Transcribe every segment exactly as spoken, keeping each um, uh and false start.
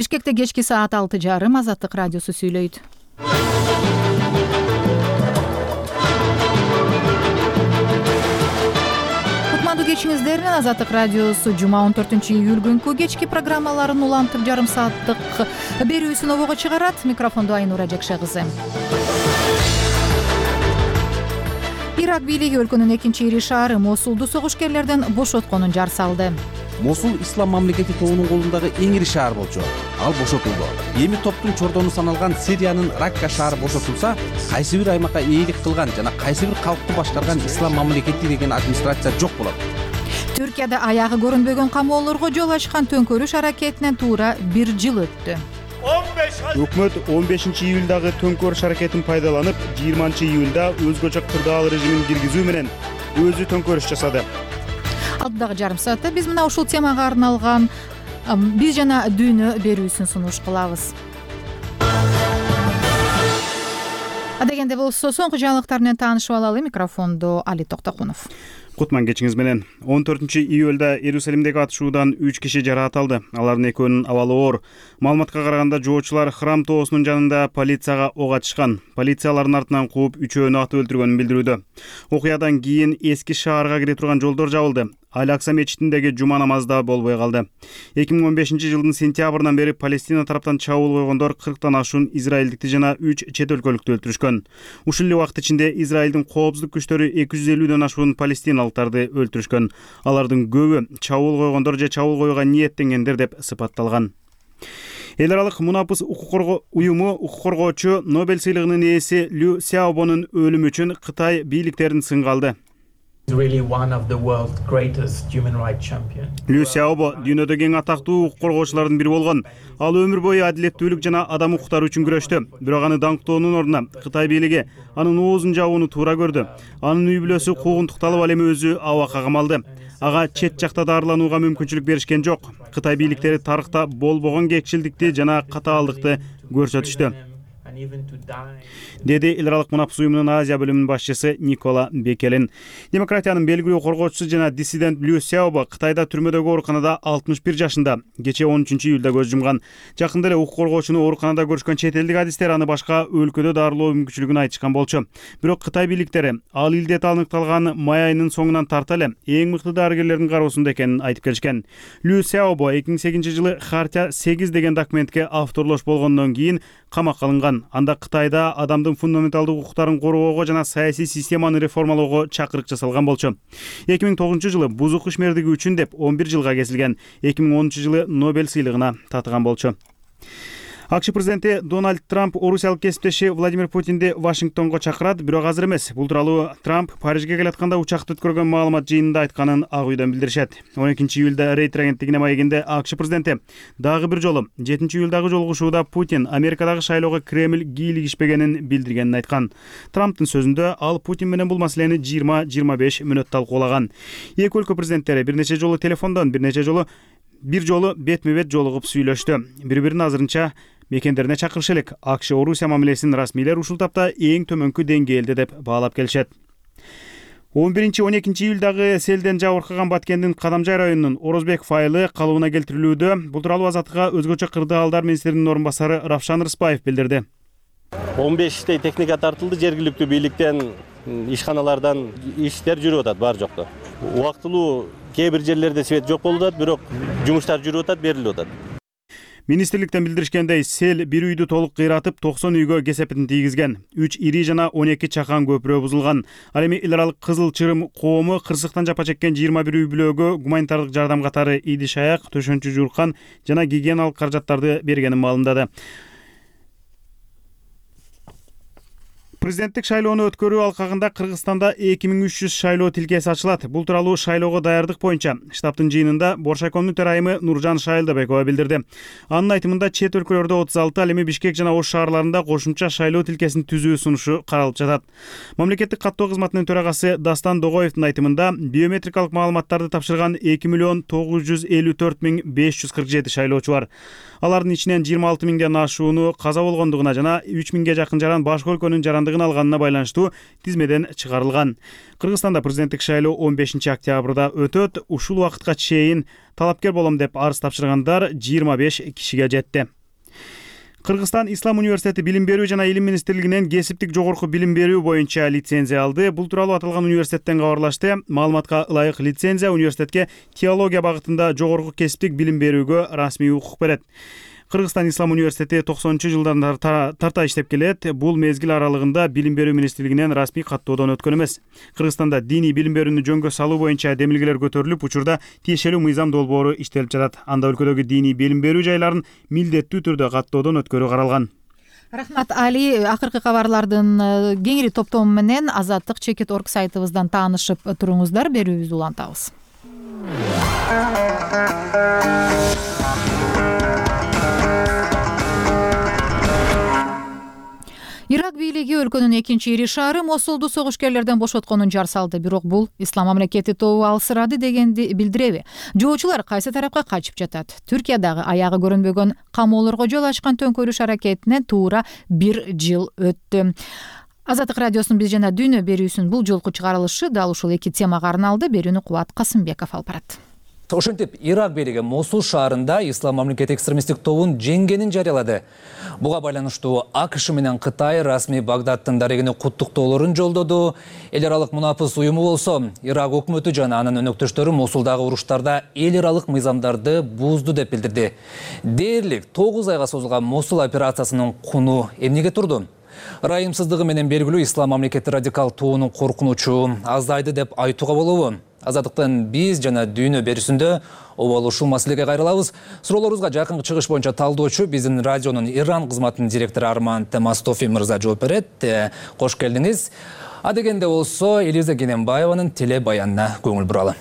Бишкекте кечки саат алты жарым Азаттык радиосу сүйлөйт. Кутмандуу кечиңиздер менен Азаттык радиосу жума он төртүнчү июль күнкү кечки программаларын улантып жарым сааттык берүүсүн обого чыгарат. Микрофондо Айнура Жекше кызы. Ирак бийлиги өлкөнүн экинчи ири шаары Мосулду согушкерлерден бошотконун жар салды. Мосул ислам мамлекети тобунун колундагы эң ири шаар болчу. Ал бошотулду. Эми топтун чордону саналган Сириянын Ракка шаары бошотулса, кайсы бир аймакка ээлик кылган жана кайсы бир калкты башкарган ислам мамлекети деген администрация жок болот. Түркияда аягы көрүнбөгөн камоолорго жол ачкан төңкөрүш аракетинен туура бир жыл өттү. Өкмөт он бешинчи июлдагы төңкөрүш аракетин пайдаланып, жыйырманчы июлда өзгөчө кырдаал режимин киргизүү менен өзү төңкөрүш жасады. Алдыдагы жарым саатта биз мына ушул темага арналган биз жана дүйнө берүүсүн сунуш кылабыз. Адегенде болсо соңку жаңылыктар менен таанышып алалы. Микрофондо Али Токтокунов. Кутман кечиңиз менен. он төртүнчү июлда Иерусалимдеги атышуудан үч киши жаракат алды. Алардын экөөнүн абалы оор. Маалыматка караганда жоочулар храм тоосунун жанында полицияга ок ачышкан. Полиция алардын артынан кууп үчөөнү атып өлтүргөнүн билдирүүдө. Окуядан кийин эски шаарга кире турган жолдор жабылды. Аль-Акса мечитиндеги жума намазы да болбой калды. эки миң он бешинчи жылдын сентябрынан бери Палестина тараптан чабуул койгондор кырктан ашуун израилдикти жана үч чет өлкөлүктү өлтүрүшкөн. Ушул эле убакыт ичинде Израилдин коопсуздук күчтөрү эки жүз элүүдөн ашуун палестиналыктарды өлтүрүшкөн. Алардын көбү чабуул койгондор же чабуул коюуга ниеттенгендер деп сыпатталган. Эл аралык мунапыс укук коргоо уюму укук коргоочу Нобель сыйлыгынын ээси Лю Сяобонун өлүмү үчүн Кытай бийликтерин сынга алды. Лю Сяобо дүйнөдөгү эң атактуу укук коргоочулардын бири болгон. Ал өмүр бою адилеттүүлүк жана адам укуктары үчүн күрөштү. Бирок аны даңктоонун ордуна Кытай бийлиги анын оозун жабууну туура көрдү. Анын үй бүлөсү куугунтукталып, ал эми өзү абакка камалды. Ага чет жакта дарыланууга мүмкүнчүлүк беришкен жок. Кытай бийликтери тарыхта болбогон кекчилдикти жана катаалдыкты көрсөтүштү, деди эл аралык мунапыс уюмунун Азия бөлүмүнүн башчысы Никола Бекелин. Демократиянын белгилүү коргоочусу жана диссидент Лю Сяобо Кытайда түрмөдөгү ооруканада алтымыш бир жашында. Кечээ он үчүнчү июлда көз жумган. Жакында эле укук коргоочуну ооруканада көрүшкөн чет элдик адистер аны башка өлкөдө дарылоо мүмкүнчүлүгүн айтышкан болчу. Бирок Кытай бийликтери ал илдет аныкталган май айынын соңунан тарта эле эң мыкты дарыгерлердин кароосунда экенин айтып келишкен. Лю Сяобо эки миң сегизинчи жылы Хартия сегиз деген документке авторлош болгондон кийин камакка алынган. Анда Кытайда адамдын фундаменталдык укуктарын коргоого жана саясий системаны реформалоого чакырык жасалган болчу. эки миң тогузунчу жылы бузук ишмердиги үчүн деп он бир жылга кесилген. эки миң онунчу жылы Нобель сыйлыгына татыган болчу. АКШ президенти Дональд Трамп орусиялык кесиптеши Владимир Путинди Вашингтонго чакырат, бирок азыр эмес. Бул тууралуу Трамп Парижге келатканда учакты өткөргөн маалымат жыйынында айтканын Ак үйдөн билдиришет. он экинчи июлда Рейтер агенттигине маегинде АКШ президенти дагы бир жолу жетинчи июлдагы жолугушууда Путин Америкадагы шайлоого Кремль кийлигишпегенин билдиргенин айткан. Трамптын сөзүндө ал Путин менен бул маселени жыйырма жыйырма беш мүнөт талкуулаган. Эки өлкө президенттери бир нече жолу телефондон, бир нече жолу бир жолу бетме-бет жолугуп сүйлөштү. Бири-бирин азырынча мекендерине чакырышы элек. АКШ Орусия мамилесин расмийлер ушул тапта эң төмөнкү деңгээлде деп баалап келишет. он биринчи он экинчи июлдагы селден жабыркаган Баткендин Кадамжай районунун Орозбеков айылы калыбына келтирилүүдө. Бул тууралуу Азаттыкка өзгөчө кырдаалдар министринин орун басары Равшан Рыспаев билдирди. он бештей техника тартылды, жергиликтүү бийликтен, ишканалардан иштер жүрүп атат бар жокто. Убактылуу кээ бир жерлерде свет жок болуп атат, бирок жумуштар жүрүп атат, берилип атат. Министрликтен билдиришкендей, сел бир үйдү толук кыйратып, токсон үйгө кесепетин тийгизген. үч ири жана он эки чакан көпүрө бузулган. Ал эми эл аралык Кызыл Чырым коому кырсыктан жапа чеккен жыйырма бир үй бүлөгө гуманитардык жардам катары идиш аяк, төшөнчү жууркан жана гигиеналык каражаттарды бергенин маалымдады. Президенттик шайлоону өткөрүү алкагында Кыргызстанда эки миң үч жүз шайлоо тилкеси ачылат. Бул тууралуу шайлоого даярдык боюнча штабтын жыйынында Боршайкомдун төрайымы Нуржан Шайылдабекова билдирди. Анын айтымында чет өлкөлөрдө отуз алты, ал эми Бишкек жана Ош шаарларында кошумча шайлоо тилкесин түзүү сунушу каралып жатат. Мамлекеттик каттоо кызматынын төрагасы Дастан Догоевдун айтымында биометрикалык маалыматтарды тапшырган эки миллион тогуз жүз элүү төрт миң беш жүз кырк жети шайлоочу бар. Алардын ичинен жыйырма алты миңден ашууну каза болгондугуна жана үч миңге жакын жаран башка өлкөнүн жарандык бостандыгын алганына байланыштуу тизмеден чыгарылган. Кыргызстанда президенттик шайлоо он бешинчи октябрда өтөт. Ушул убакытка чейин талапкер болом деп арыз тапшыргандар жыйырма беш кишиге жетти. Кыргызстан Ислам университети билим берүү жана илим министрлигинен кесиптик жогорку билим берүү боюнча лицензия алды. Бул тууралуу аталган университеттен кабарлашты. Маалыматка ылайык лицензия университетке теология багытында жогорку кесиптик билим берүүгө расмий укук берет. Кыргызстан Ислам университети токсонунчу жылдан тарта иштеп келет. Бул мезгил аралыгында билим берүү министрлигинен расмий каттоодон өткөн эмес. Кыргызстанда диний билим берүүнү жөнгө салуу боюнча демилгелер көтөрүлүп, учурда тиешелүү мыйзам долбоору иштелип жатат. Анда өлкөдөгү диний билим берүү жайларын милдеттүү түрдө каттоодон өткөрүү каралган. Рахмат Али. Акыркы кабарлардын кеңири топтому менен Азаттык чекит точка орг сайтыбыздан таанышып туруңуздар. Берүүбүздү улантабыз. Ирак бийлиги өлкөнүн экинчи ири шаары Мосулду согушкерлерден бошотконун жар салды. Бирок бул ислам мамлекети тобу алсырады дегенди билдиреби? Жоочулар кайсы тарапка качып жатат? Түркиядагы аягы көрүнбөгөн камоолорго жол ачкан төңкөрүш аракетине туура бир жыл өттү. Азаттык радиосунун биз жана дүйнө берүүсүнүн бул жолку чыгарылышы дал ушул эки темага арналды. Берүүнү Кубат Касымбеков алып барат. Ошентип, Ирак бийлиги Мосул шаарында ислам мамлекети экстремисттик тобун жеңгенин жарыялады. Буга байланыштуу АКШ менен Кытай расмий Багдадтын дарегине куттуктоолорун жолдоду. Эл аралык мунапыс уюму болсо, Ирак өкмөтү жана анын өнөктөштөрү Мосулдагы уруштарда эл аралык мыйзамдарды бузду деп билдирди. Дээрлик тогуз айга созулган Мосул операциясынын куну эмнеге турду? Ырайымсыздыгы менен белгилүү ислам мамлекети радикал тобунун коркунучу азайды деп айтууга болобу? Азаттыктын биз жана дүйнө берүүсүндө обалы ушул маселеге кайрылабыз. Суроолорубузга жакынкы чыгыш боюнча талдоочу биздин радионун Иран кызматынын директору Арман Темастофи мырза жооп берет. Кош келдиңиз. А дегенде болсо Элиза Кененбаеванын теле баянына көңүл буралы.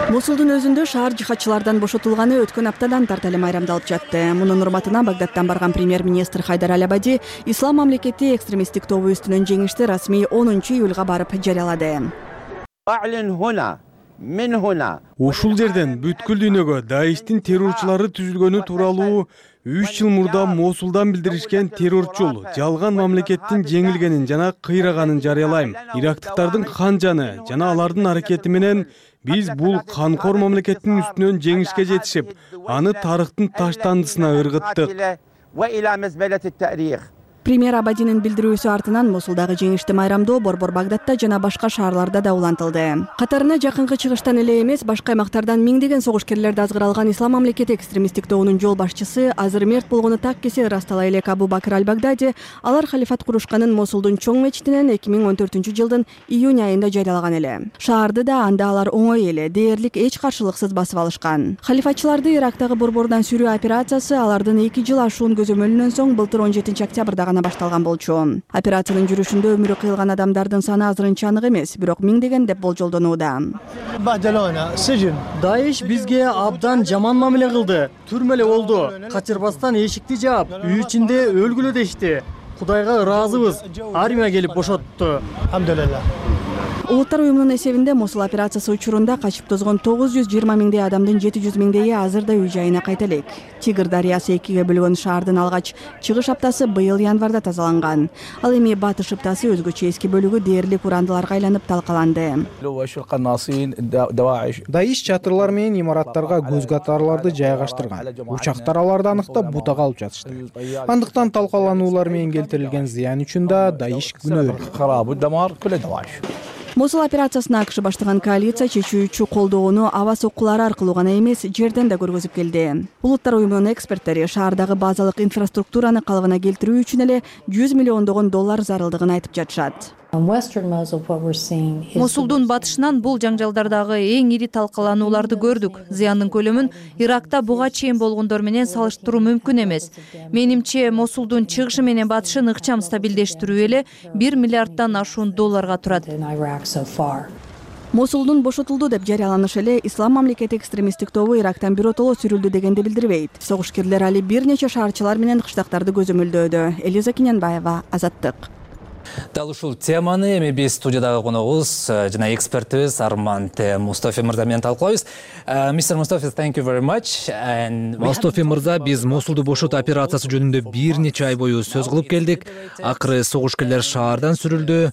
Мосулдун өзүндө шаар жихадчылардан бошотулганы өткөн аптадан тарта эле майрамдалып жатты. Мунун урматына Багдадтан барган премьер-министр Хайдар Аль-Абади ислам мамлекети экстремисттик тобу үстүнөн жеңишти расмий онунчу июлга барып жарыялады. Ушул жерден бүткүл дүйнөгө Даиштин террорчулары түзүлгөнү тууралуу үч жыл мурда Мосулдан билдиришкен террорчул жалган мамлекеттин жеңилгенин жана кыйраганын жарыялайм. Ирактыктардын кан жаны жана алардын аракети менен биз бул канкор мамлекеттин үстүнөн жеңишке жетишип, аны тарыхтын таштандысына ыргыттык. Премьер Абадинин билдирүүсү артынан Мосулдагы жеңишти майрамдоо Борбор Багдадта жана башка шаарларда да улантылды. Катарына жакынкы чыгыштан эле эмес, башка аймактардан миңдеген согушкерлерди азгыралган ислам мамлекети экстремисттик тобунун жол башчысы азыр мерт болгону так кесе ырастала элек Абу Бакр Аль-Багдади алар халифат курушканын Мосулдун чоң мечитинен эки миң он төртүнчү жылдын июнь айында жарыялаган эле. Шаарды да анда алар оңой эле, дээрлик эч каршылыксыз басып алышкан. Халифатчыларды Ирактагы борбордон сүрүү операциясы алардын эки жыл ашуун көзөмөлүнөн соң былтыр он жетинчи октябрда башталган болчу. Операциянын жүрүшүндө өмүрү кыйылган адамдардын саны азырынча анык эмес, бирок миңдеген деп болжолдонууда. Даиш бизге абдан жаман мамиле кылды. Түрмө эле болду. Качырбастан эшикти жаап, үй ичинде өлгүлө дешти. Кудайга ыраазыбыз. Армия келип бошотту. Улуттар уюмунун эсебинде Мосул операциясы учурунда качып тозгон тогуз жүз жыйырма миңдей адамдын жети жүз миңдейи азырда үй жайына кайта элек. Тигр дарыясы экиге бөлгөн шаардын алгач чыгыш аптасы быйыл январда тазаланган. Ал эми батыш ыптасы өзгөчө эски бөлүгү дээрлик урандыларга айланып талкаланды. Даиш чатырлар менен имараттарга көз катарларды жайгаштырган. Учактар аларды аныктап бутага алып жатышты. Андыктан талкалануулар менен келтирилген зыян үчүн да Даиш күнөөлүү. Мосул операциясына АКШ баштаган коалиция чечүүчү колдоону аба соккулары аркылуу гана эмес, жерден да көргөзүп келди. Улуттар уюмунун эксперттери шаардагы базалык инфраструктураны калыбына келтирүү үчүн эле жүз миллиондогон доллар зарылдыгын айтып жатышат. Мосулдун батышынан бул жаңжалдардагы эң ири талкаланууларды көрдүк. Зыяндын көлөмүн Иракта буга чейин болгондор менен салыштыруу мүмкүн эмес. Менимче, Мосулдун чыгышы менен батышын ыкчам стабилдештирүү эле бир миллиарддан ашуун долларга турат. Мосулдун бошотулду деп жарыяланышы эле ислам мамлекети экстремисттик тобу Ирактан биротоло сүрүлдү дегенди билдирбейт. Согушкерлер али бир нече шаарчылар менен кыштактарды көзөмөлдөөдө. Элиза Кененбаева, Азаттык. Дал ушул теманы эми биз студиядагы коногубуз жана экспертибиз Арман Мустафи мырза менен талкуулайбыз. Мистер Мустафи, thank you very much. Мустафи мырза, биз Мосулду бошотуу операциясы жөнүндө бир нече ай бою сөз кылып келдик. Акыры согушкерлер шаардан сүрүлдү.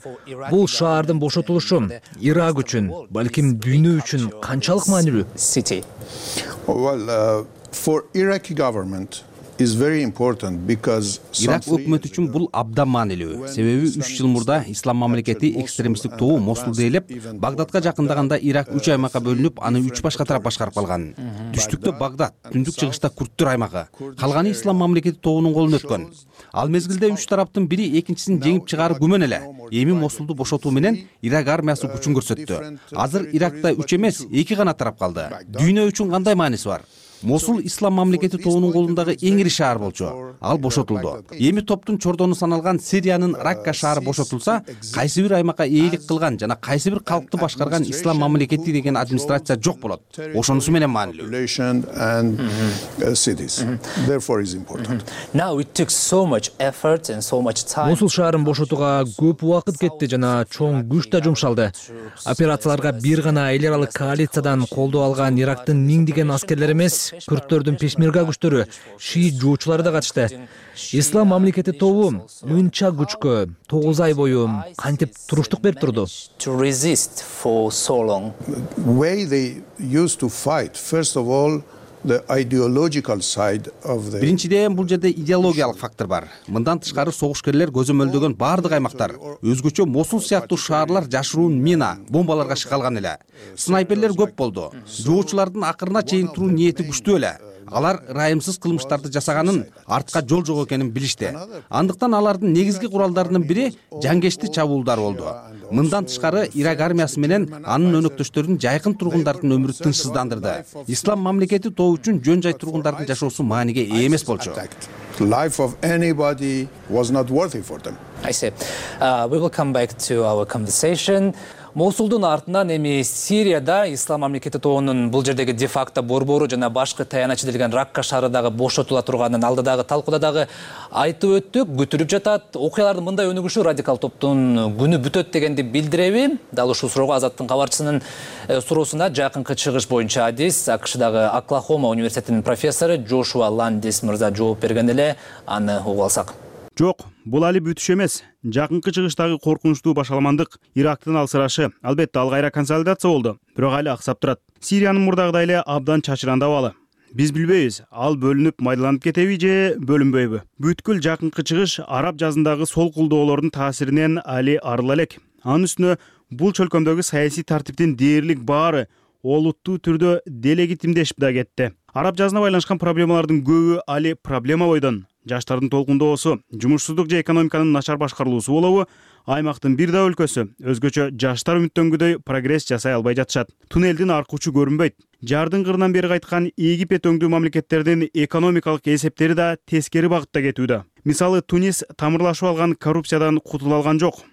Бул шаардын бошотулушу Ирак үчүн, балким дүйнө үчүн канчалык маанилүү? Well, uh, for Iraqi government is very important because Ирак өкмөтү үчүн бул абдан маанилүү. Себеби үч жыл мурда ислам мамлекети экстремисттик тобу Мосулду ээлеп, Багдадка жакындаганда Ирак үч аймакка бөлүнүп, аны үч башка тарап башкарып калган. Түштүктө Багдад, түндүк чыгышта Курттар аймагы, калганы ислам мамлекети тобунун колуна өткөн. Ал мезгилде үч тараптын бири экинчисин жеңип чыгаары күмөн эле. Эми Мосулду бошотуу менен Ирак армиясы күчүн көрсөттү. Азыр Иракта үч эмес, эки гана тарап калды. Дүйнө үчүн кандай мааниси бар? Мосул ислам мамлекети тобунун колундагы эң ири шаар болчу. Ал бошотулду. Эми топтун чордону саналган Сириянын Ракка шаары бошотулса, кайсы бир аймакка ээлик кылган жана кайсы бир калкты башкарган ислам мамлекети деген администрация жок болот. Ошонусу менен маанилүү. Мосул шаарын бошотууга көп убакыт кетти жана чоң күч да жумшалды. Операцияларга бир гана эл аралык коалициядан колдоо алган Ирактын миңдеген аскерлери эмес, күрттөрдүн пешмерга күчтөрү, шиит жуучулары да катышты. Ислам мамлекети тобу мынча күчкө тогуз ай бою кантип туруштук берип турду? Биринчиден, бул жерде идеологиялык фактор бар. Мындан тышкары согушкерлер көзөмөлдөгөн бардык аймактар, өзгөчө Мосул сыяктуу шаарлар жашыруун мина, бомбаларга шыкалган эле. Снайперлер көп болду. Жоочулардын акырына чейин туруу ниети күчтүү эле. Алар ырайымсыз кылмыштарды жасаганын, артка жол жок экенин билишти. Андыктан алардын негизги куралдарынын бири жангечти чабуулдар болду. Мындан тышкары Ирак армиясы менен анын өнөктөштөрүн жайкын тургундардын өмүрү тынчсыздандырды. Ислам мамлекети тобу үчүн жөн жай тургундардын жашоосу мааниге ээ эмес болчу. Life of anybody was not worthy for them. I see. Uh, we will come back to our conversation. Мосулдун артынан эми Сирияда ислам мамлекети тобунун бул жердеги де-факто борбору жана башкы таянычы делген Ракка шаары дагы бошотула турганын алдыдагы талкууда дагы айтып өттүк, күтүлүп жатат. Окуялардын мындай өнүгүшү радикал топтун күнү бүтөт дегенди билдиреби? Дал ушул суроого Азаттын кабарчысынын суроосуна жакынкы чыгыш боюнча адис АКШдагы Оклахома университетинин профессору Джошуа Ландис мырза жооп берген эле, аны угуп алсак. Жок, бул али бүтүш эмес. Жакынкы чыгыштагы коркунучтуу башаламандык Ирактын алсырашы албетте ал кайра консолидация болду, бирок али аксап турат. Сириянын мурдагыдай эле абдан чачыранда абалы. Биз билбейбиз, ал бөлүнүп майдаланып кетеби же бөлүнбөйбү. Бүткүл жакынкы чыгыш араб жазындагы сол кулдоолордун таасиринен али арыла элек. Анын үстүнө бул чөлкөмдөгү саясий тартиптин дээрлик баары олуттуу түрдө делегитимдешип да кетти. Араб жазына байланышкан проблемалардын көбү али проблема бойдон. Жаштардын толкундоосу, жумушсуздук же экономиканын начар башкарылуусу болобу, аймактын бир да өлкөсү өзгөчө жаштар үмүттөнгүдөй прогресс жасай албай жатышат. Туннелдин аркы учу көрүнбөйт. Жардын кырынан бери кайткан Египет өңдүү мамлекеттердин экономикалык эсептери да тескери багытта кетүүдө. Мисалы, Тунис тамырлашып алган коррупциядан кутула алган жок.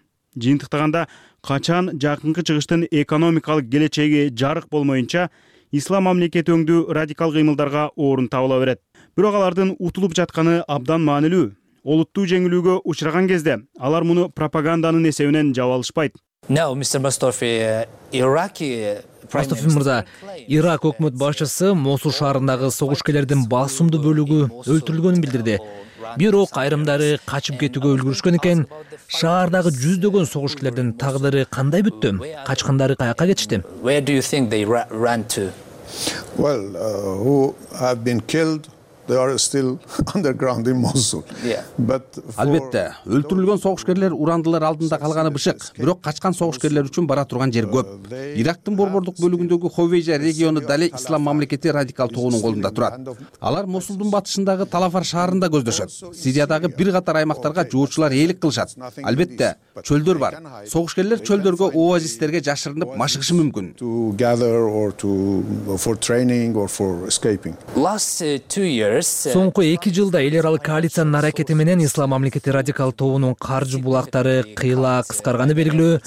Жыйынтыктаганда качан жакынкы чыгыштын экономикалык келечеги жарык болмоюнча ислам мамлекети өңдүү радикал кыймылдарга орун табыла берет. Бирок алардын утулуп жатканы абдан маанилүү. Олуттуу жеңилүүгө учураган кезде алар муну пропаганданын эсебинен жаап алышпайт. Now, мистер Mustafi, Iraqi Мустафи мырза, Ирак өкмөт башчысы Мосул шаарындагы согушкерлердин басымдуу бөлүгү өлтүрүлгөнүн билдирди. Бирок айрымдары качып кетүүгө үлгүрүшкөн экен. Шаардагы жүздөгөн согушкерлердин тагдыры кандай бүттү? Качкандары каяка кетишти? Where do you think they ran to? Well, uh, who have been killed, they are still underground in Mosul. Yeah. But Албетте, өлтүрүлгөн согушкерлер урандылар алдында калганы бышык, бирок качкан согушкерлер үчүн бара турган жер көп. Ирактын борбордук бөлүгүндөгү Ховейжа региону дале ислам мамлекети радикал тобунун колунда турат. Алар Мосулдун батышындагы Талафар шаарында көздөшөт. Сириядагы бир катар аймактарга жоочулар ээлик кылышат. Албетте, чөлдөр бар. Согушкерлер чөлдөргө, оазистерге жашырынып машыгышы мүмкүн. To gather or to for training or for escaping. Last two years Соңку эки жылда эл аралык коалициянын аракети менен ислам мамлекети радикал тобунун каржы булактары кыйла кыскарганы белгилүү.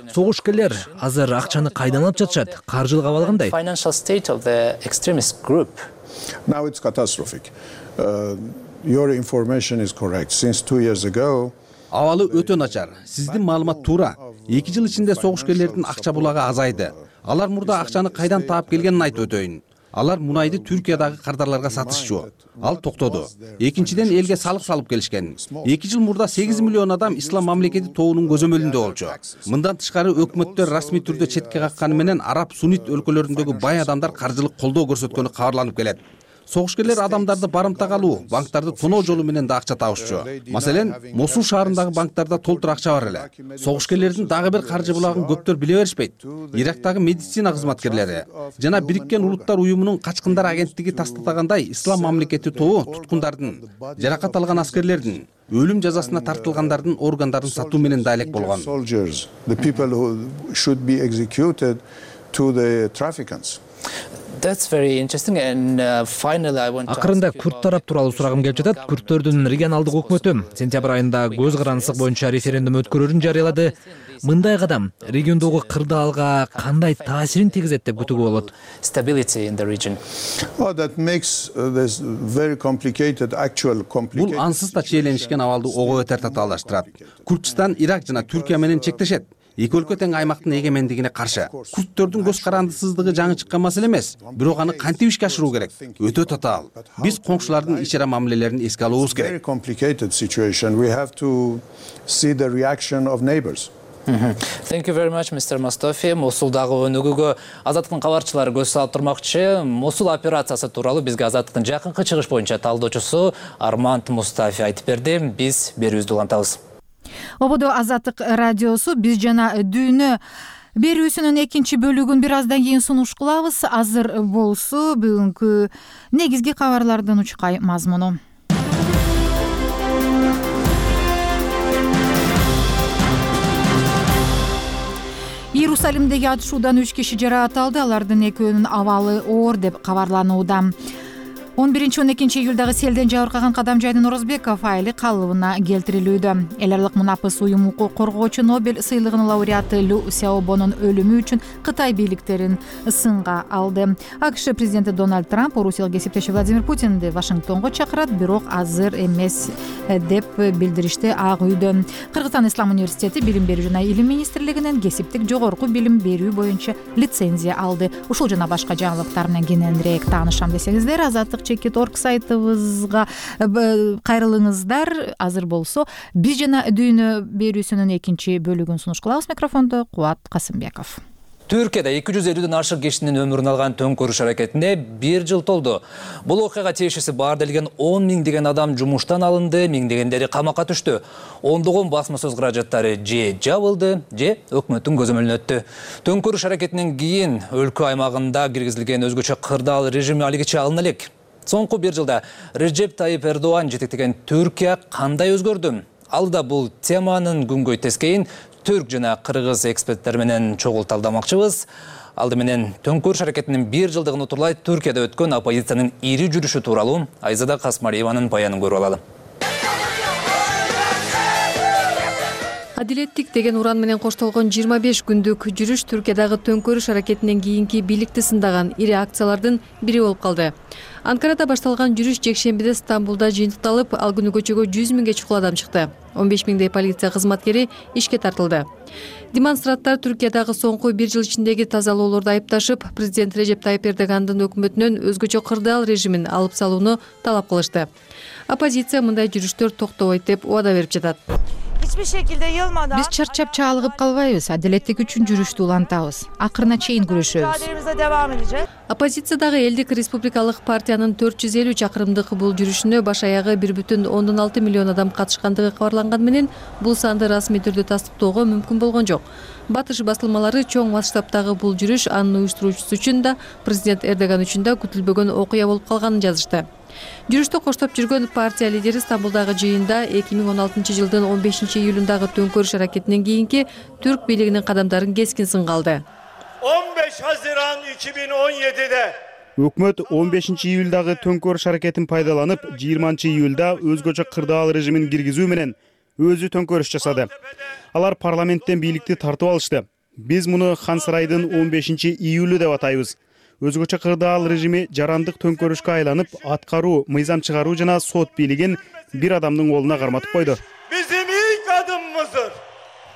Согушкерлер азыр акчаны кайдан алып жатышат? Каржылык абалы кандай? Financial state of the extremist group. Now it's catastrophic. Uh, your information is correct. Since two years ago, Абалы өтө начар. Сиздин маалымат туура. эки жыл ичинде согушкерлердин акча булагы азайды. Алар мурда акчаны кайдан таап келгенин айтып өтөйүн. Алар мунайды Түркиядагы кардарларга сатышчу. Ал токтоду. Экинчиден элге салык салып келишкен. эки жыл мурда сегиз миллион адам ислам мамлекети тобунун көзөмөлүндө болчу. Мындан тышкары өкмөттөр расмий түрдө четке какканы менен араб суннит өлкөлөрүндөгү бай адамдар каржылык колдоо көрсөткөнү кабарланып келет. Согушкерлер адамдарды барымтага алуу, банктарды тоноо жолу менен да акча табышчу. Маселен, Мосул шаарындагы банктарда толтур акча бар эле. Согушкерлердин дагы бир каржы булагын көптөр биле беришпейт. Ирактагы медицина кызматкерлери жана Бириккен Улуттар уюмунун качкындар агенттиги тастыктагандай, ислам мамлекети тобу туткундардын, жаракат алган аскерлердин, өлүм жазасына тартылгандардын органдарын сатуу менен да элек болгон. Акырында күрд тарап тууралуу сурагым келип жатат. Күрдтөрдүн регионалдык өкмөтү сентябрь айында көз карандысык боюнча референдум өткөрөрүн жарыялады. Мындай кадам региондогу кырдаалга кандай таасирин тийгизет деп күтүүгө болот? Бул ансыз да чиеленишкен абалды ого бетер татаалдаштырат. Күрдстан Ирак жана Түркия менен чектешет. Эки өлкө тең аймактын эгемендигине каршы. Күрдтөрдүн көз карандысыздыгы жаңы чыккан маселе эмес, бирок аны кантип ишке ашыруу керек? Өтө татаал. Биз коңшулардын ич ара мамилелерин эске алуубуз керек. Thank you very much, мистер Мостофи. Мосулдагы өнүгүүгө Азаттыктын кабарчылары көз салып турмакчы. Мосул операциясы тууралуу бизге Азаттыктын жакынкы чыгыш боюнча талдоочусу Арманд Мустафи айтып берди. Биз берүүбүздү улантабыз. Ободо Азаттык радиосу биз жана дүйнө берүүсүнүн экинчи бөлүгүн бир аздан кийин сунуш кылабыз. Азыр болсо бүгүнкү негизги кабарлардын учкай мазмуну. Иерусалимдеги атышуудан үч киши жаракат алды. Алардын экөөнүн абалы оор деп кабарланууда. он биринчи он экинчи июлдагы селден жабыркаган Кадамжайдын Орозбеков айылы калыбына келтирилүүдө. Эл аралык мунапыс уюм укук коргоочу Нобель сыйлыгынын лауреаты Лю Сяобонун өлүмү үчүн Кытай бийликтерин сынга алды. АКШ президенти Дональд Трамп Орусиялык кесиптеши Владимир Путинди Вашингтонго чакырат, бирок азыр эмес деп билдиришти Ак үйдөн. Кыргызстан Ислам университети Билим берүү жана илим министрлигинен кесиптик жогорку билим берүү боюнча лицензия алды. Ушул жана башка жаңылыктар менен кененирээк таанышам десеңиздер, Азаттык чекит точка орг сайтыбызга кайрылыңыздар. Азыр болсо биз жана дүйнө берүүсүнүн экинчи бөлүгүн сунуш кылабыз. Микрофондо Кубат Касымбеков. Түркияда эки жүз элүүдөн ашык кишинин өмүрүн алган төңкөрүш аракетине бир жыл толду. Бул окуяга тиешеси бар делген он миңдеген адам жумуштан алынды, миңдегендери камакка түштү. Ондогон басма сөз каражаттары же жабылды, же өкмөттүн көзөмөлүнө өттү. Төңкөрүш аракетинен кийин өлкө аймагында киргизилген өзгөчө кырдаал режими алигиче алына элек. Соңку бир жылда Реджеп Тайип Эрдоан жетектеген Түркия кандай өзгөрдү? Алда бул теманын күнгөй тескейин түрк жана кыргыз эксперттер менен чогул талдамакчыбыз. Алды менен төңкөрүш аракетинин бир жылдыгын утурлай Түркияда өткөн оппозициянын ири жүрүшү тууралуу Айзада Касмариеванын баянын көрүп алалы. Адилеттик деген уран менен коштолгон жыйырма беш күндүк жүрүш Түркиядагы төңкөрүш аракетинен кийинки бийликти сындаган ири акциялардын бири болуп калды. Анкарада башталган жүрүш жекшембиде Стамбулда жыйынтыкталып, ал күнү көчөгө жүз миңге чукул адам чыкты. он беш миңдей полиция кызматкери ишке тартылды. Демонстранттар Түркиядагы соңку бир жыл ичиндеги тазалоолорду айыпташып, президент Реджеп Тайип Эрдогандын өкмөтүнөн өзгөчө кырдаал режимин алып салууну талап кылышты. Оппозиция мындай жүрүштөр токтобойт деп убада берип жатат. Биз чарчап чаалыгып калбайбыз, адилеттик үчүн жүрүштү улантабыз. Акырына чейин күрөшөбүз. Оппозициядагы Элдик республикалык партиянын төрт жүз элүү чакырымдык бул жүрүшүнө баш аягы бир бүтүн ондон алты миллион адам катышкандыгы кабарланган менен бул санды расмий түрдө тастыктоого мүмкүн болгон жок. Батыш басылмалары чоң масштабтагы бул жүрүш анын уюштуруучусу үчүн да, президент Эрдоган үчүн да күтүлбөгөн окуя болуп калганын жазышты. Жүрүштө коштоп жүргөн партия лидери Стамбулдагы жыйында эки миң он алтынчы жылдын он бешинчи июлундагы төңкөрүш аракетинен кийинки түрк бийлигинин кадамдарын кескин сынга алды. он беш Haziran эки миң он жетиде Өкмөт он бешинчи июлдагы төңкөрүш аракетин пайдаланып, жыйырманчы июлда өзгөчө кырдаал режимин киргизүү менен өзү төңкөрүш жасады. Алар парламенттен бийликти тартып алышты. Биз муну Хан сарайдын он бешинчи июлү деп атайбыз. Өзгөчө кырдаал режими жарандык төңкөрүшкө айланып, аткаруу, мыйзам чыгаруу жана сот бийлигин бир адамдын колуна карматып койду. Bizim ilk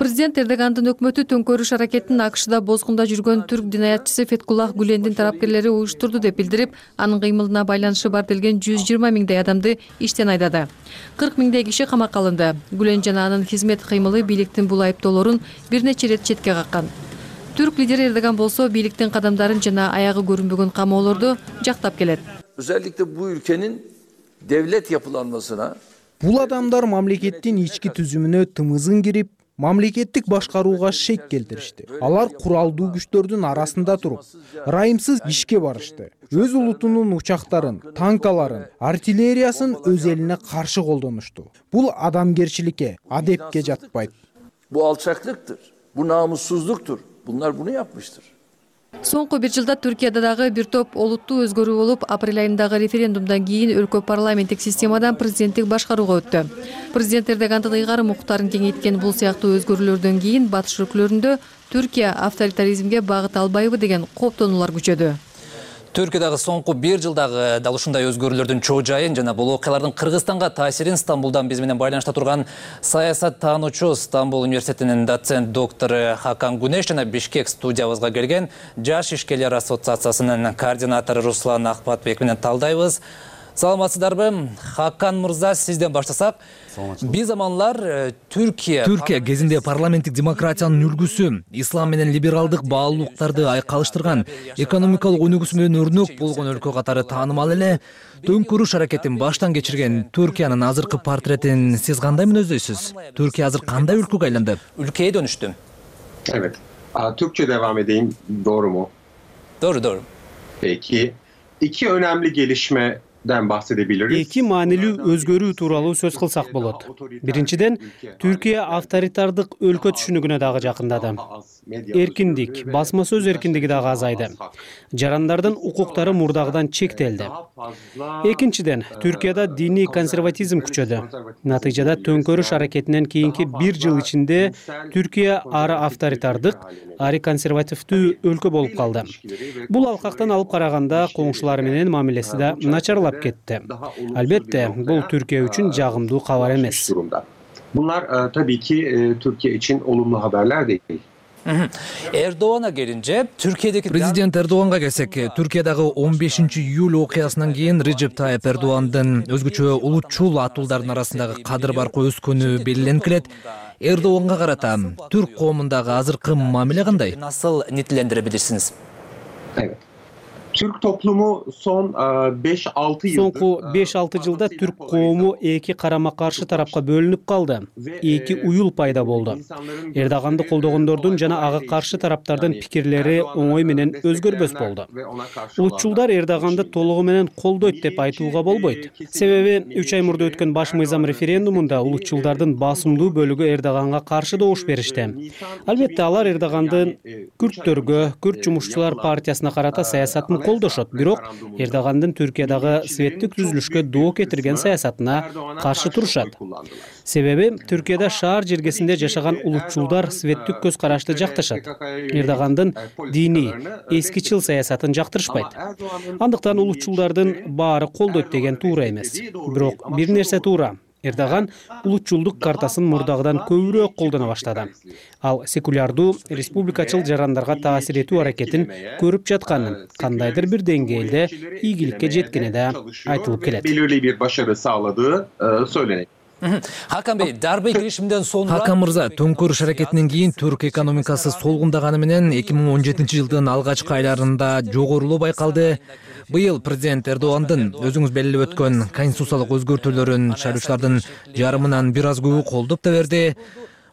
Президент Эрдогандын өкмөтү төңкөрүш аракетин АКШда бозгунда жүргөн түрк динаятчысы Феткуллах Гүлендин тараптерлери уюштурду деп билдирип, анын кыймылына байланышы бар делген жүз жыйырма миңдей адамды иштен айдады. кырк миңдей киши камакка алынды. Гүлен жана анын хизмет кыймылы бийликтин бул айыптоолорун бир нече ирет четке каккан. Түрк лидери Эрдоган болсо бийликтин кадамдарын жана аягы көрүнбөгөн камоолорду жактап келет. Özellikle bu ülkenin devlet yapılanmasına Бул адамдар мамлекеттин ички түзүмүнө тымызын кирип, мамлекеттик башкарууга шек келтиришти. Алар куралдуу күчтөрдүн арасында туруп, ырайымсыз ишке барышты. Өз улутунун учактарын, танкаларын, артиллериясын өз элине каршы колдонушту. Бул адамгерчиликке, адепке жатпайт. Bu alçaklıktır, bu namussuzluktur. Bunlar bunu yapmıştır. Соңку бир жылда Түркияда дагы бир топ олуттуу өзгөрүү болуп, апрель айындагы референдумдан кийин өлкө парламенттик системадан президенттик башкарууга өттү. Президент Эрдогандын ыйгарым укуктарын кеңейткен бул сыяктуу өзгөрүүлөрдөн кийин батыш өлкөлөрүндө Түркия авторитаризмге багыт албайбы деген кооптонуулар күчөдү. Түркиядагы соңку бир жылдагы дал ушундай өзгөрүүлөрдүн чоо жайын жана бул окуялардын Кыргызстанга таасирин Стамбулдан биз менен байланышта турган саясаттануучу, Стамбул университетинин доцент доктору Хакан Гунеш жана Бишкек студиябызга келген Жаш ишкерлер ассоциациясынын координатору Руслан Акбатбек менен талдайбыз. Саламатсыздарбы? Хакан мырза, сизден баштасак. Бир заманлар Түркия Түркия кезинде парламенттик демократиянын үлгүсү, ислам менен либералдык баалуулуктарды айкалыштырган, экономикалык өнүгүүсү менен өрнөк болгон өлкө катары таанымал эле. Төңкөрүш аракетин баштан кечирген Түркиянын азыркы портретин сиз кандай мүнөздөйсүз? Түркия азыр кандай өлкөгө айланды? Ülkeye dönüştü. Evet. Türkçe devam edeyim. Doğru mu? Doğru, doğru. Peki. İki önemli gelişme Эки маанилүү өзгөрүү тууралуу сөз кылсак болот. Биринчиден, Түркия авторитардык өлкө түшүнүгүнө дагы жакындады. Эркиндик, басма сөз эркиндиги дагы азайды. Жарандардын укуктары мурдагыдан чектелди. Экинчиден, Түркияда диний консерватизм күчөдү. Натыйжада төңкөрүш аракетинен кийинки бир жыл ичинде Түркия ары авторитардык, ары консервативдүү өлкө болуп калды. Бул алкактан алып караганда коңшулары менен мамилеси да начарлап кетти. Албетте, бул Türkiye үчүн жагымдуу кабар эмес. Bunlar tabii ki Türkiye için olumlu haberler değil. Erdoğan'a gelince Türkiye'deki Президент Эрдоганга келсек, Түркиядагы он бешинчи июль окуясынан кийин Режеп Тайып Эрдогандын өзгөчө улутчул атуулдардын арасындагы кадыр баркы өскөнү белгиленип келет. Эрдоганга карата түрк коомундагы азыркы мамиле кандай? Nasıl nitelendirebilirsiniz? Evet. Türk toplumu son beş altı yıldır Соңку беш алты жылда түрк коому эки карама каршы тарапка бөлүнүп калды. Эки уюл пайда болду. Эрдоганды колдогондордун жана ага каршы тараптардын пикирлери оңой менен өзгөрбөс болду. Улутчулдар Эрдоганды толугу менен колдойт деп айтууга болбойт. Себеби үч ай мурда өткөн баш мыйзам референдумунда улутчулдардын басымдуу бөлүгү Эрдоганга каршы добуш беришти. Албетте алар Эрдогандын күрттөргө, күрт жумушчулар партиясына карата саясатын колдошот, бирок Эрдогандын Түркиядагы светтик түзүлүшкө доо кетирген саясатына каршы турушат. Себеби Түркияда шаар жергесинде жашаган улутчулдар светтик көз карашты жакташат. Эрдогандын диний, эскичил саясатын жактырышпайт. Андыктан улутчулдардын баары колдойт деген туура эмес. Бирок бир нерсе туура. Эрдоган улутчулдук картасын мурдагыдан көбүрөөк колдоно баштады. Ал секулярдуу, республикачыл жарандарга таасир этүү аракетин көрүп жатканын, кандайдыр бир деңгээлде ийгиликке жеткени да айтылып келет. Belirli bir başarı sağladığı söylenir. Хакан Бey, дарбе girişiminden sonra Хакан мырза, төңкөрүш аракетинен кийин түрк экономикасы солгундаганы менен эки миң он жетинчи жылдын алгачкы айларында жогорулоо байкалды. Быйыл президент Эрдогандын өзүңүз белгилеп өткөн конституциялык өзгөртүүлөрүн шайлоочулардын жарымынан бир аз көбү колдоп да берди.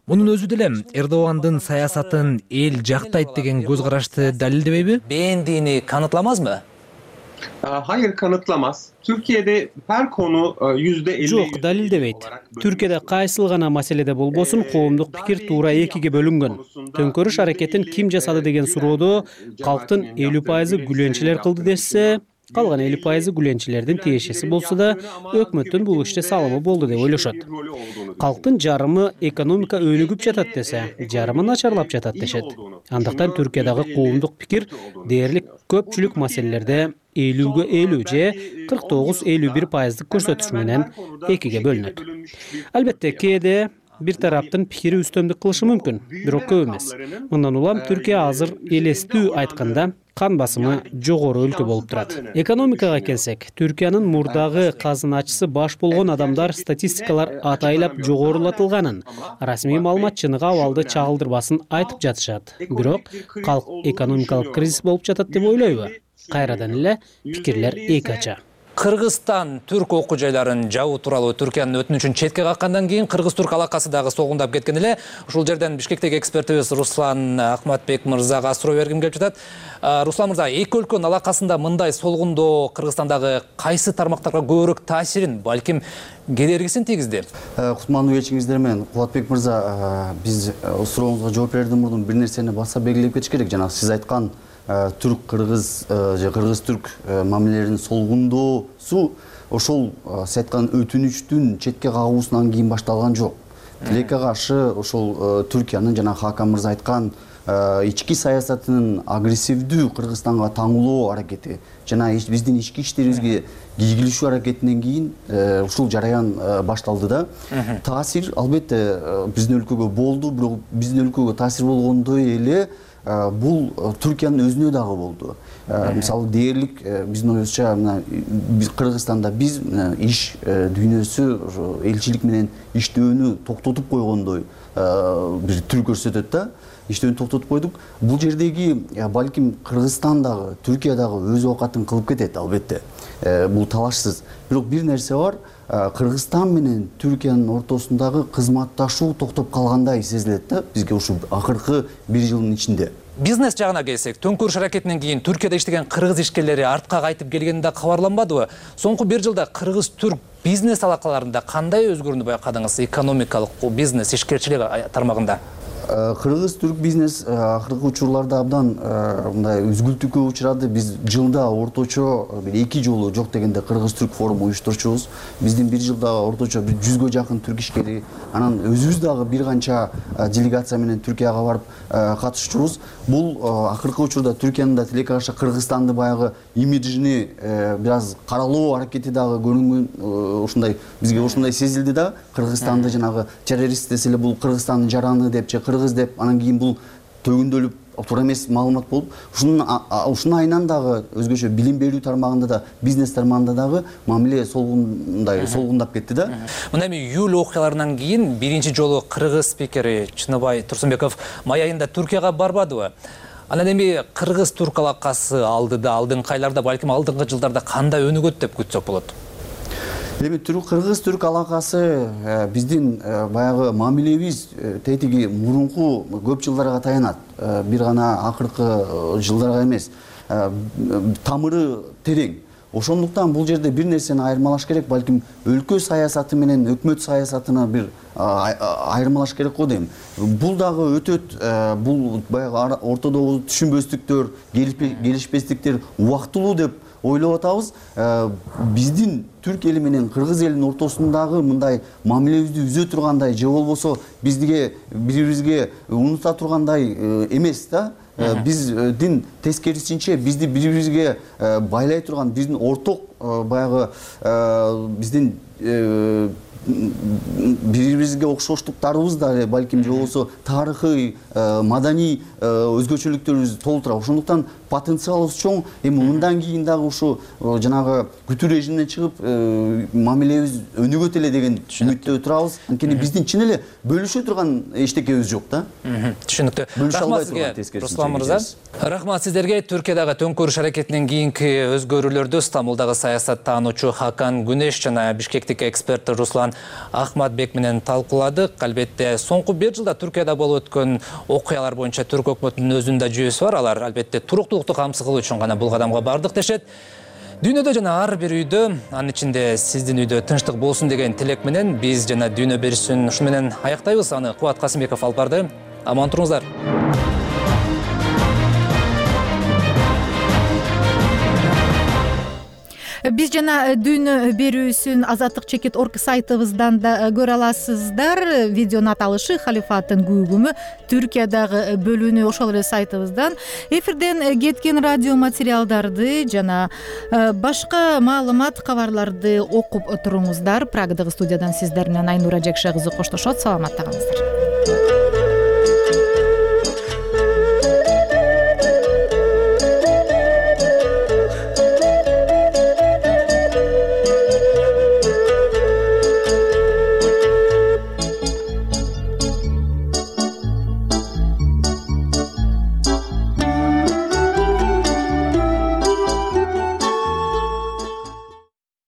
Мунун өзү деле Эрдогандын саясатын эл жактайт деген көз карашты далилдебейби? Beğendiğini kanıtlamaz mı? Hayır, kanıtlamaz. Türkiye'de her konu yüzde elli. Жок, далилдебейт. Түркияда кайсыл гана маселеде болбосун коомдук пикир туура экиге бөлүнгөн. Төңкөрүш аракетин ким жасады деген суроодо калктын элүү пайызы гүленчилер кылды десе, калган элүү пайызы гүленчилердин тиешеси болсо да, өкмөттүн бул иште салымы болду деп ойлошот. Калктын жарымы экономика өнүгүп жатат десе, жарымы начарлап жатат дешет. Андыктан Түркиядагы коомдук пикир дээрлик көпчүлүк маселелерде элүүгө элүү же кырк тогуз элүү бир пайыздык көрсөтүш менен экиге бөлүнөт. Албетте кээде бир тараптын пикири үстөмдүк кылышы мүмкүн, бирок көп эмес. Мындан улам Түркия азыр элестүү айтканда кан басымы жогору өлкө болуп турат. Экономикага келсек, Түркиянын мурдагы казыначысы баш болгон адамдар статистикалар атайлап жогорулатылганын, расмий маалымат чыныгы абалды чагылдырбасын айтып жатышат. Бирок калк экономикалык кризис болуп жатат деп ойлойбу? Кайрадан эле пикирлер эки ача. Кыргызстан түрк окуу жайларын жабуу тууралуу Түркиянын өтүнүчүн четке каккандан кийин кыргыз-түрк алакасы дагы солгундап кеткен эле. Ушул жерден Бишкектеги экспертибиз Руслан Ахматбек мырзага суроо бергим келип жатат. Руслан мырза, эки өлкөнүн алакасында мындай солгундоо Кыргызстандагы кайсы тармактарга көбүрөөк таасирин, балким кедергисин тийгизди? Кутмандуу кечиңиздер менен Кубатбек мырза, биз сурооңузга жооп берүүдөн мурдун бир нерсени баса белгилеп кетиш керек. Жана сиз айткан түрк-кыргыз же кыргыз-түрк мамилелеринин солгундоосу ошол сиз айткан өтүнүчтүн четке кагуусунан кийин башталган жок. Тилекке каршы ошол Түркиянын жана Хакан мырза айткан ички саясатынын агрессивдүү Кыргызстанга таңуулоо аракети жана биздин ички иштерибизге кийгилишүү аракетинен кийин ушул жараян башталды да. Таасир албетте биздин өлкөгө болду, бирок биздин өлкөгө таасир болгондой эле бул Түркиянын өзүнө дагы болду. Мисалы дээрлик биздин оюбузча биз Кыргызстанда биз иш дүйнөсү элчилик менен иштөөнү токтотуп койгондой бир түр көрсөтөт да. Иштөөнү токтотуп койдук. Бул жердеги балким Кыргызстан дагы, Түркия дагы өз оокатын кылып кетет албетте. Бул талашсыз. Бирок бир нерсе бар. Кыргызстан менен Түркиянын ортосундагы кызматташуу токтоп калгандай сезилет да бизге ушул акыркы бир жылдын ичинде. Бизнес жагына келсек, төңкөрүш аракетинен кийин Түркияда иштеген кыргыз ишкерлери артка кайтып келгени да кабарланбадыбы? Соңку бир жылда кыргыз-түрк бизнес алакаларында кандай өзгөрүүнү байкадыңыз экономикалык бизнес ишкерчилик тармагында? Кыргыз-түрк бизнес акыркы учурларда абдан мындай үзгүлтүүккө учурады. Биз жылда орточо бир эки жолу жок дегенде кыргыз-түрк форум уюштурчубуз. Биздин бир жылда орточо бир жүзгө жакын түрк ишкери, анан өзүбүз дагы бир канча делегация менен Түркияга барып катышчубуз. Бул акыркы учурда Түркиянын да тилекке каршы Кыргызстанды баягы имиджини бир аз каралоо аракети дагы көрүнгөн, ушундай бизге ушундай сезилди да. Кыргызстанды жанагы террорист десе эле бул Кыргызстандын жараны деп же кыргыз деп, анан кийин бул төгүндөлүп туура эмес маалымат болуп, ушунун ушунун айынан дагы өзгөчө билим берүү тармагында да, бизнес тармагында дагы мамиле солгундай солгундап кетти да. Мына эми июль окуяларынан кийин биринчи жолу кыргыз спикери Чыныбай Турсунбеков май айында Түркияга барбадыбы? Анан эми кыргыз-түрк алакасы алдыда, алдыңкы айларда, балким алдыңкы жылдарда кандай өнүгөт деп күтсөк болот? Эми кыргыз-түрк алакасы биздин баягы мамилебиз тетиги мурунку көп жылдарга таянат. Бир гана акыркы жылдарга эмес. Тамыры терең. Ошондуктан бул жерде бир нерсени айырмалаш керек, балким өлкө саясаты менен өкмөт саясатына бир айырмалаш керек го дейм. Бул дагы өтөт, бул баягы ортодогу түшүнбөстүктөр, келишпестиктер убактылуу деп ойлоп атабыз. Биздин түрк эли менен кыргыз элинин ортосундагы мындай мамилебизди үзө тургандай же болбосо бизге бири-бирибизге унута тургандай эмес да. Биздин тескерисинче бизди бири-бирибизге байлай турган биздин орток баягы биздин бири-бирибизге окшоштуктарыбыз да балким же болбосо тарыхый, маданий өзгөчөлүктөрүбүз толтура. Ошондуктан потенциалыбыз чоң. Эми мындан кийин дагы ушу жанагы күтүү режимине чыгып мамилебиз өнүгөт эле деген үмүттө турабыз. Анткени биздин чын эле бөлүшө турган эчтекебиз жок да. Түшүнүктүү. Рахмат сизге, Руслан мырза. Рахмат сиздерге. Түркиядагы төңкөрүш аракетинен кийинки өзгөрүүлөрдү Стамбулдагы саясаттануучу Хакан Күнеш жана Бишкектеги эксперт Руслан Ахматбек менен талкууладык. Албетте соңку бир жылда Түркияда болуп өткөн окуялар боюнча түрк өкмөтүнүн өзүнүн да жүйөсү бар. Алар албетте туруктуулукту камсыз кылуу үчүн гана бул кадамга бардык дешет. Дүйнөдө жана ар бир үйдө, анын ичинде сиздин үйдө тынчтык болсун деген тилек менен биз жана дүйнө беришин ушу менен аяктайбыз. Аны Кубат Касымбеков алып барды. Аман туруңуздар. Биз жана дүйнө берүүсүн азаттык чекит орг сайтыбыздан да көрө аласыздар. Видеонун аталышы халифаттын күүгүмү Түркиядагы бөлүүнү ошол эле сайтыбыздан. Эфирден кеткен радио материалдарды жана башка маалымат кабарларды окуп туруңуздар. Прагадагы студиядан сиздер менен Айнура Жекше кызы коштошот. Саламатта калыңыздар.